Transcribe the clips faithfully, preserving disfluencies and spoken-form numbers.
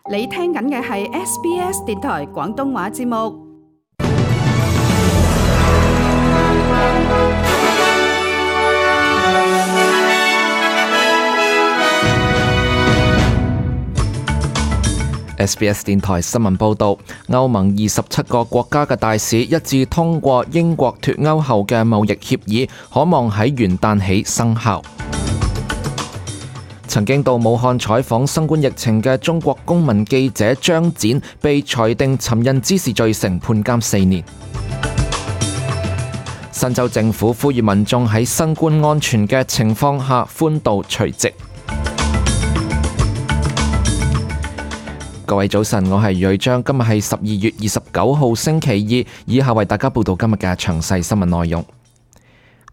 你聽緊嘅係 S B S 電台廣東話節目。S B S 電台新聞報導，歐盟二十七個國家嘅大使一致通過英國脫歐後嘅貿易協議，可望喺元旦起生效。曾經到武漢採訪新冠疫情嘅中國公民記者張展被裁定尋釁滋事罪成，判監四年。新州政府呼籲民眾喺新冠安全嘅情況下歡度除夕。各位早晨，我係瑞章，今日係十二月二十九號星期二，以下為大家報道今日嘅詳細新聞內容。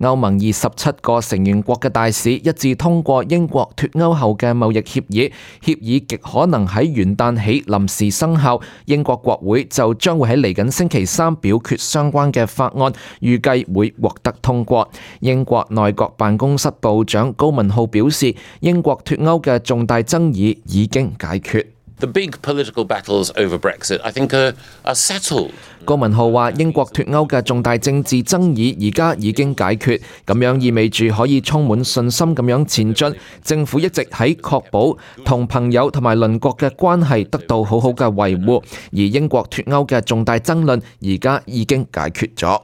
歐盟二十七個成員國嘅大使一致通過英國脫歐後嘅貿易協議，協議極可能喺元旦起臨時生效。英國國會就將會喺嚟緊星期三表決相關嘅法案，預計會獲得通過。英國內閣辦公室部長高文浩表示，英國脫歐嘅重大爭議已經解決。The big political battles over Brexit, I think, are, are settled. 高文浩話：英國脫歐嘅重大政治爭議而家已經解決，咁樣意味住可以充滿信心咁樣前進。政府一直喺確保同朋友同埋鄰國嘅關係得到好好嘅維護，而英國脫歐嘅重大爭論而家已經解決咗。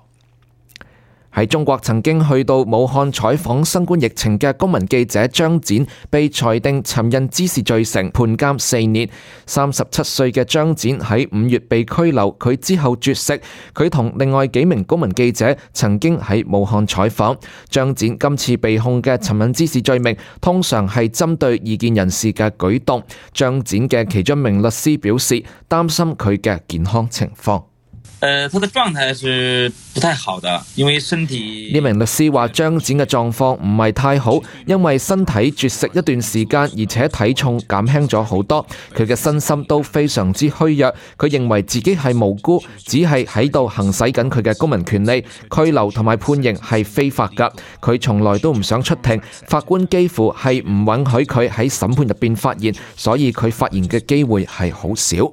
喺中國曾經去到武漢採訪新冠疫情嘅公民記者張展被裁定尋釁滋事罪成，判監四年。三十七歲嘅張展喺五月被拘留，佢之後絕食。佢同另外幾名公民記者曾經喺武漢採訪。張展今次被控嘅尋釁滋事罪名，通常係針對異見人士嘅舉動。張展嘅其中一名律師表示，擔心佢嘅健康情況。呃，他的狀態是不太好的，因為身體。呢名律師話張展嘅狀況唔係太好，因為身體絕食一段時間，而且體重減輕咗好多。佢嘅身心都非常之虛弱。佢認為自己係無辜，只係喺度行使緊佢嘅公民權利。拘留同埋判刑係非法㗎。佢從來都唔想出庭，法官幾乎係唔允許佢喺審判入邊發言，所以佢發言嘅機會係好少。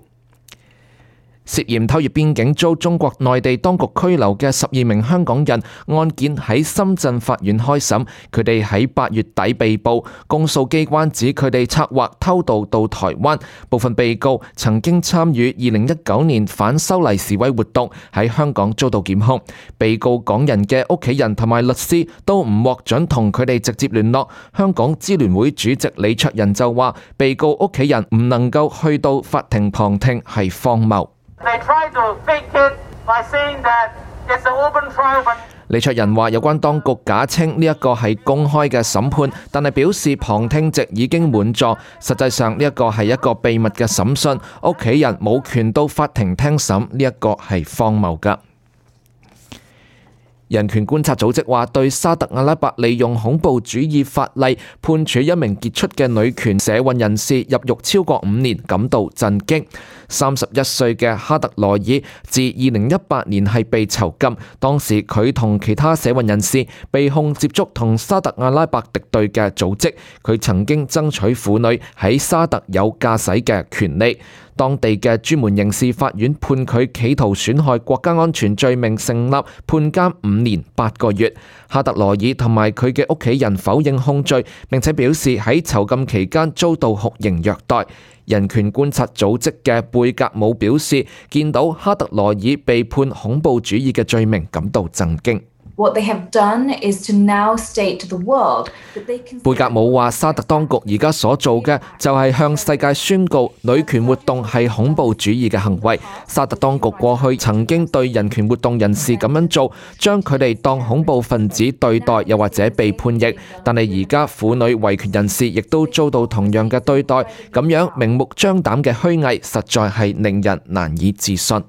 涉嫌偷越邊境遭中國內地當局拘留嘅十二名香港人案件喺深圳法院開審，佢哋喺八月底被捕，公訴機關指佢哋策劃偷渡到台灣，部分被告曾經參與二零一九年反修例示威活動，喺香港遭到檢控。被告港人嘅屋企人同埋律師都唔獲准同佢哋直接聯絡。香港支聯會主席李卓人就話，被告屋企人唔能夠去到法庭旁聽係荒謬。李卓人話：有關當局假稱呢一個係公開嘅審判，但係表示旁聽席已經滿座，實際上呢一個係一個秘密嘅審訊，屋企人冇權到法庭聽審，呢一個係荒謬㗎。人權觀察組織話，對沙特阿拉伯利用恐怖主義法例判處一名傑出嘅女權社運人士入獄超過五年感到震驚。三十一歲嘅哈特羅爾自二零一八年係被囚禁，當時佢同其他社運人士被控接觸同沙特阿拉伯敵對嘅組織，佢曾經爭取婦女喺沙特有駕駛嘅權利。當地嘅專門刑事法院判佢企圖損害國家安全罪名成立，判監五年八個月。哈特羅爾同埋佢嘅屋企人否認控罪，並且表示喺囚禁期間遭到酷刑虐待。人權觀察組織嘅貝格姆表示，見到哈特羅爾被判恐怖主義嘅罪名感到震驚。What they have done is to now state to the world that they can... 貝格姆話：沙特當局而家所做嘅就係向世界宣告女權活動係恐怖主義嘅行為。沙特當局過去曾經對人權活動人士咁樣做，將佢哋當恐怖分子對待，又或者被判刑。但係而家婦女維權人士亦都遭到同樣嘅對待，咁樣明目張膽嘅虛偽，實在係令人難以置信。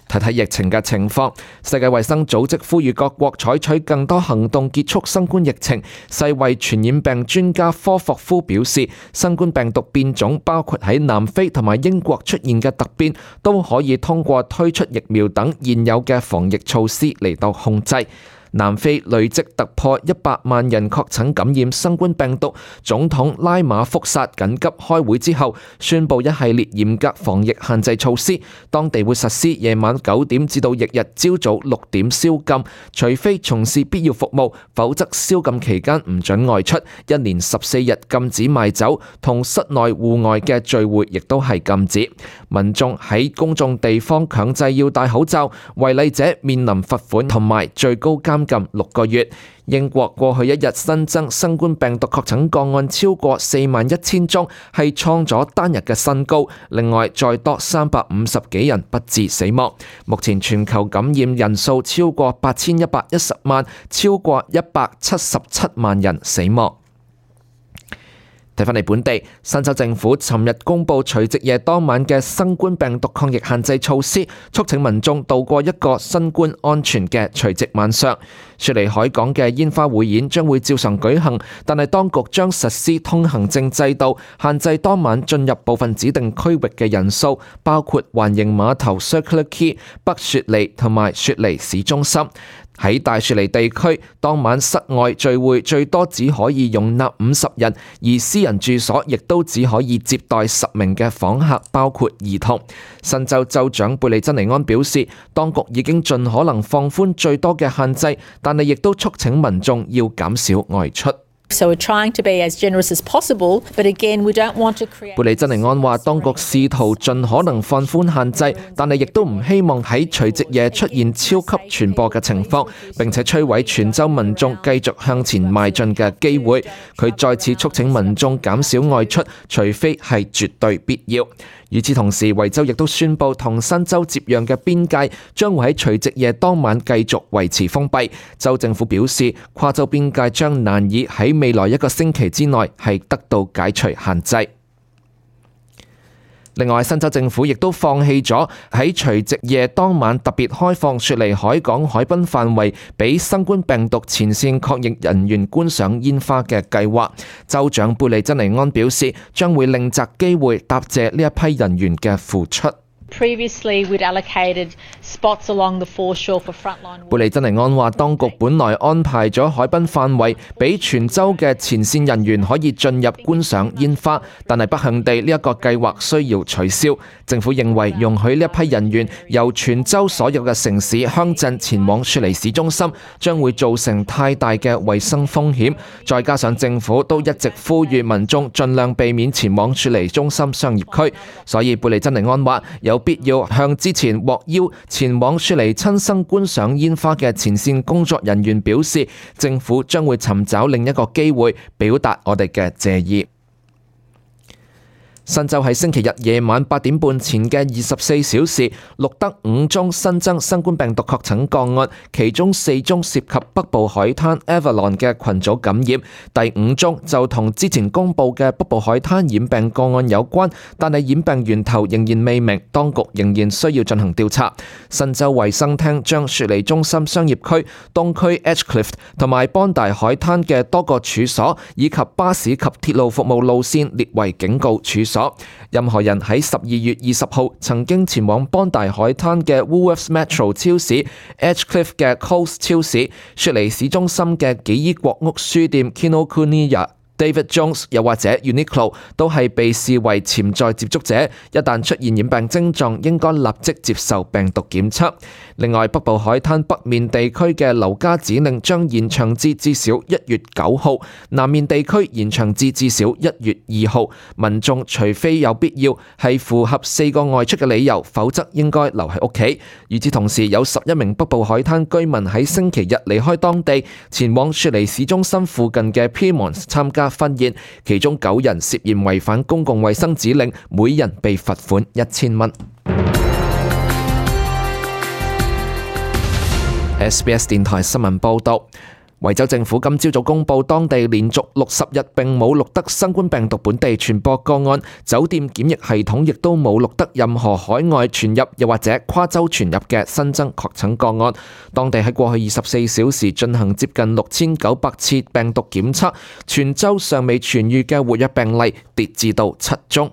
睇睇疫情嘅情況，世界衛生組織呼籲各國採取更多行動結束新冠疫情。世衛傳染病專家科霍夫表示，新冠病毒變種包括喺南非同埋英國出現嘅突變，都可以通過推出疫苗等現有嘅防疫措施嚟到控制。南非累積突破一百萬人確診感染新冠病毒，總統拉馬福薩緊急開會之後，宣布一系列嚴格防疫限制措施。當地會實施夜晚九點至到翌日朝早六點宵禁，除非從事必要服務，否則宵禁期間唔准外出。一連十四日禁止賣酒，同室內戶外嘅聚會亦都係禁止。民眾喺公眾地方強制要戴口罩，違例者面臨罰款同埋最高監禁六個月。英國過去一日新增新冠病毒確診個案超過四萬一千宗，係創咗單日嘅新高。另外，再多三百五十幾人不治死亡。目前全球感染人數超過八千一百一十萬，超過一百七十七萬人死亡。睇返嚟本地，新州政府尋日公布除夕夜當晚嘅新冠病毒抗疫限制措施，促請民眾度過一個新冠安全嘅除夕晚上。雪梨海港嘅煙花匯演將會照常舉行，但係當局將實施通行證制度，限制當晚進入部分指定區域嘅人數，包括環形碼頭 Circular Quay、北雪梨同埋雪梨市中心。喺大雪梨地區，當晚室外聚會最多只可以容納五十人，而私人住所亦都只可以接待十名嘅訪客，包括兒童。新州州長貝利珍尼安表示，當局已經盡可能放寬最多嘅限制，但係亦都促請民眾要減少外出。So we're trying to be as generous as possible, but again, we don't want to create. 貝利珍尼安話，當局試圖盡可能放寬限制，但係亦都唔希望喺除夕夜出現超級傳播嘅情況，並且摧毀全州民眾繼續向前邁進嘅機會。佢再次促請民眾減少外出，除非係絕對必要。與此同時，維州亦都宣布同新州接壤嘅邊界將會喺除夕夜當晚繼續維持封閉。州政府表示，跨州邊界將難以喺未來一個星期之內係得到解除限制。另外，新州政府亦都放棄咗喺除夕夜當晚特別開放雪梨海港海濱範圍俾新冠病毒前線抗疫人員觀賞煙花嘅計劃。州長貝利珍尼安表示，將會另擇機會答謝呢一批人員嘅付出。Previously, we'd allocated spots along the foreshore for frontline. 貝利珍尼安話，當局本來安排咗海濱範圍俾全州嘅前線人員可以進入觀賞煙花，但係不幸地呢一個計劃需要取消。政府認為容許呢一批人員由全州所有嘅城市鄉鎮前往雪梨市中心，將會造成太大嘅衛生風險。再加上政府都一直呼籲民眾盡量避免前往雪梨中心商業區，所以貝利珍尼安話有必要向之前獲邀前往雪梨親身觀賞煙花嘅前線工作人員表示，政府將會尋找另一個機會表達我哋嘅謝意。新州喺星期日夜晚八點半前嘅二十四小時錄得五宗新增新冠病毒確診個案，其中四宗涉及北部海灘 Avalon 嘅群組感染，第五宗就同之前公布嘅北部海灘染病個案有關，但係染病源頭仍然未明，當局仍然需要進行調查。新州衛生廳將雪梨中心商業區、東區 Edgecliff 同埋邦大海灘嘅多個處所以及巴士及鐵路服務路線列為警告處所。任何人喺十二月二十號曾經前往邦大海灘嘅 Woolworths Metro 超市、Edgecliff 嘅 Coles 超市、雪梨市中心嘅紀伊國屋書店 Kinokuniya、David Jones 又或者 Uniqlo 都係被視為潛在接觸者，一旦出現染病症狀，應該立即接受病毒檢測。另外，北部海灘北面地區嘅留家指令將延長至至少一月九號，南面地區延長至至少一月二號。民眾除非有必要，係符合四個外出嘅理由，否則應該留喺屋企。與此同時，有十一名北部海灘居民喺星期日離開當地，前往雪梨市中心附近嘅 Pyrmont 參加婚宴，其中九人涉嫌違反公共衛生指令，每人被罰款一千蚊。S B S 電台新聞報道，維州政府今朝早公布，當地連續六十日並冇錄得新冠病毒本地傳播個案，酒店檢疫系統亦都冇錄得任何海外傳入又或者跨州傳入嘅新增確診個案。當地喺過去二十四小時進行接近六千九百次病毒檢測，全州尚未痊癒嘅活躍病例跌至到七宗。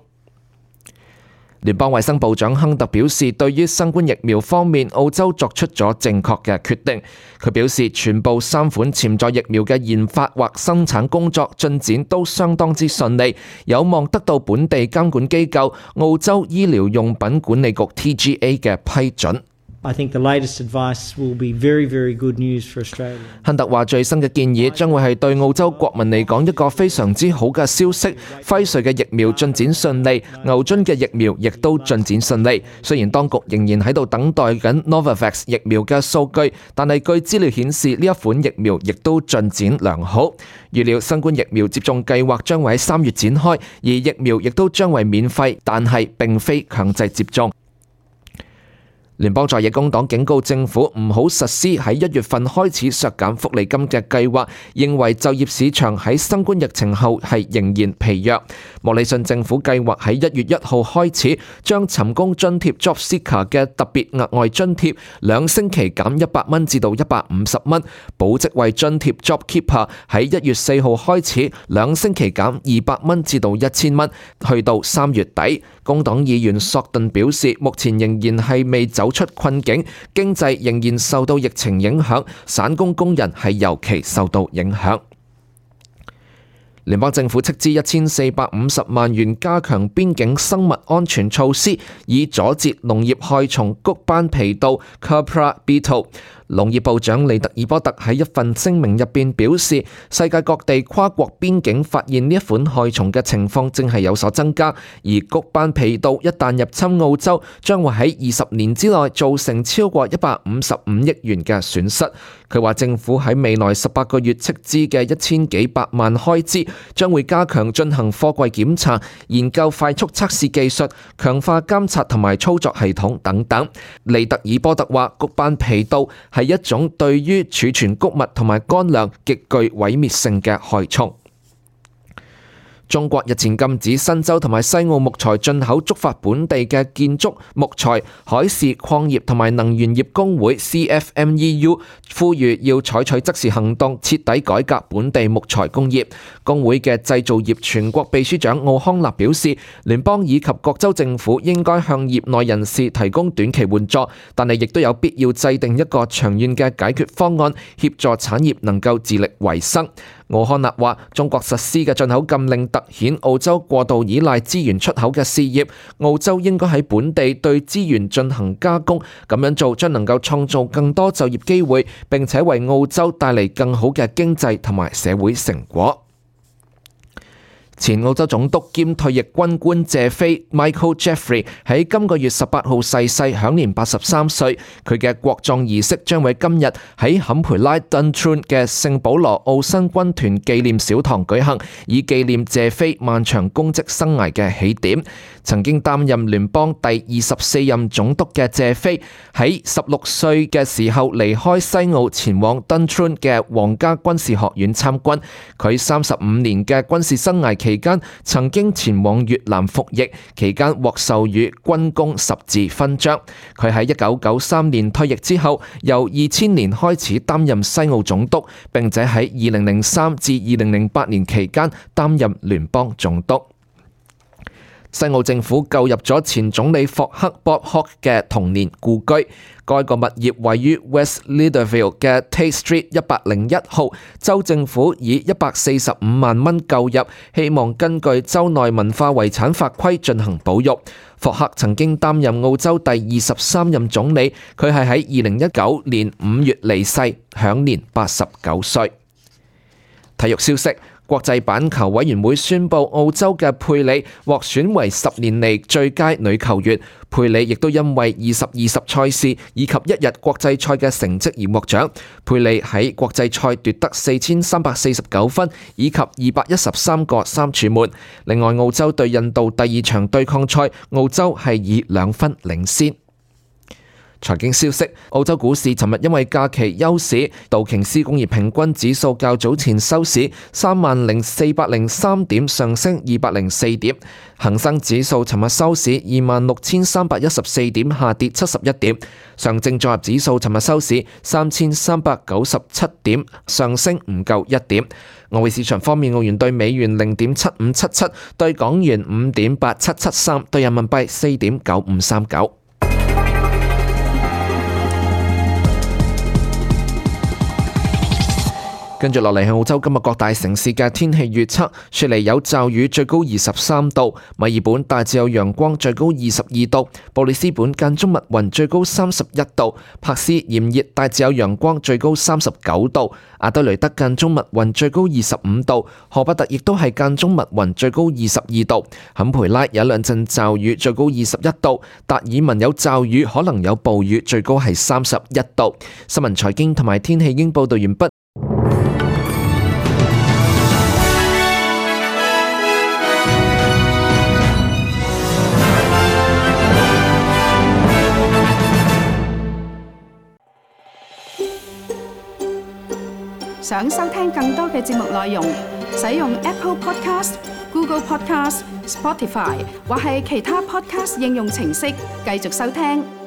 聯邦衛生部長亨特表示，對於新冠疫苗方面，澳洲作出咗正確嘅決定。佢表示，全部三款潛在疫苗嘅研發或生產工作進展都相當之順利，有望得到本地監管機構澳洲醫療用品管理局 T G A 嘅批准。I think the latest advice will be very, very good news for Australia. 亨特話：最新嘅建議將會係對澳洲國民嚟講一個非常之好嘅消息。輝瑞嘅疫苗進展順利，牛津嘅疫苗亦都進展順利。雖然當局仍然喺度等待緊 Novavax 疫苗嘅數據，但係據資料顯示呢一款疫苗亦都進展良好。預料新冠疫苗接種計劃將會喺三月展開，而疫苗亦都將為免費，但係並非強制接種。聯邦在野工黨警告政府唔好實施喺一月份開始削減福利金嘅計劃，認為就業市場喺新冠疫情後係仍然疲弱。莫里遜政府計劃喺一月一號開始將尋工津貼 Job Seeker 嘅特別額外津貼兩星期減一百蚊至到一百五十蚊，保職位津貼 Job Keeper 喺一月四號開始兩星期減二百蚊至到一千蚊，去到三月底。工黨議員索頓表示，目前仍然係未走出困境，經濟仍然受到疫情影響，散工工人係尤其受到影響。聯邦政府斥資一千四百五十萬元加強邊境生物安全措施，以阻截農業害蟲谷斑皮杜 Cupra Beetle。農業部長利特爾波特喺一份聲明入邊表示，世界各地跨國邊境發現呢一款害蟲嘅情況正係有所增加，而谷斑皮杜一旦入侵澳洲，將會喺二十年之內造成超過一百五十五億元嘅損失。佢話政府喺未來十八個月斥資嘅一千幾百萬開支，將會加強進行貨櫃檢查、研究快速測試技術、強化監察同埋操作系統等等。利特爾波特話，谷斑皮杜係一種對於儲存穀物同埋乾糧極具毀滅性嘅害蟲。中國日前禁止新州同埋西澳木材進口，觸發本地嘅建築、木材、海事、礦業同埋能源業工會 C F M E U 呼籲要採取即時行動，徹底改革本地木材工業。工會嘅製造業全國秘書長奧康納表示，聯邦以及各州政府應該向業內人士提供短期援助，但係亦都有必要制定一個長遠嘅解決方案，協助產業能夠自力維生。奧康納話：中國實施嘅進口禁令凸顯澳洲過度依賴資源出口嘅事業，澳洲應該喺本地對資源進行加工，咁樣做將能夠創造更多就業機會，並且為澳洲帶嚟更好嘅經濟同埋社會成果。前澳洲總督兼退役軍官謝飛 Michael Jeffrey 喺今個月十八號逝世，享年八十三歲。佢嘅國葬儀式將喺今日喺坎培拉 Duntroon 嘅聖保羅澳新軍團紀念小堂舉行，以紀念謝飛漫長公職生涯嘅起點。曾經擔任聯邦第二十四任總督嘅謝飛喺十六歲嘅時候離開西澳，前往 Duntroon 嘅皇家軍事學院參軍。佢三十五年嘅軍事生涯期間曾經前往越南服役，期間獲授予軍功十字勳章。佢喺一九九三年退役之後，由二千年開始擔任西澳總督，並且喺二零零三至二零零八年期間擔任聯邦總督。西澳政府購入咗前總理霍克 Bob Hawke 嘅童年故居，該個物業位於 West Leederville 嘅 Tate Street 一百零一號，州政府以一百四十五萬蚊購入，希望根據州內文化遺產法規進行保育。霍克曾經擔任澳洲第二十三任總理，佢係喺二零一九年五月離世，享年八十九歲。體育消息。國際板球委員會宣布，澳洲嘅佩里獲選為十年嚟最佳女球員。佩里亦都因為二十二十賽事以及一日國際賽嘅成績而獲獎。佩里喺國際賽奪得四千三百四十九分以及二百一十三個三柱門。另外，澳洲對印度第二場對抗賽，澳洲係以兩分領先。財經消息：澳洲股市尋日因為假期休市，道瓊斯工業平均指數較早前收市三萬零四百零三點，上升二百零四點；恒生指數尋日收市二萬六千三百一十四點，下跌七十一點；上證綜合指數尋日收市三千三百九十七點，上升唔夠一點。外匯市場方面，澳元對美元零點七五七七，對港元五點八七七三，對人民幣四點九五三九。跟住落嚟係澳洲今日各大城市嘅天氣預測：雪梨有驟雨，最高二十三度；墨爾本大致有陽光，最高二十二度；布里斯本間中密雲，最高三十一度；珀斯炎熱，大致有陽光，最高三十九度；阿德雷德間中密雲，最高二十五度；荷伯特亦都係間中密雲，最高二十二度；坎培拉有兩陣驟雨，最高二十一度；達爾文有驟雨，可能有暴雨，最高係三十一度。新聞財經同埋天氣已經報道完畢。想收聽更多嘅節目內容，使用 Apple Podcast、Google Podcast、Spotify 或係其他 Podcast 應用程式繼續收聽。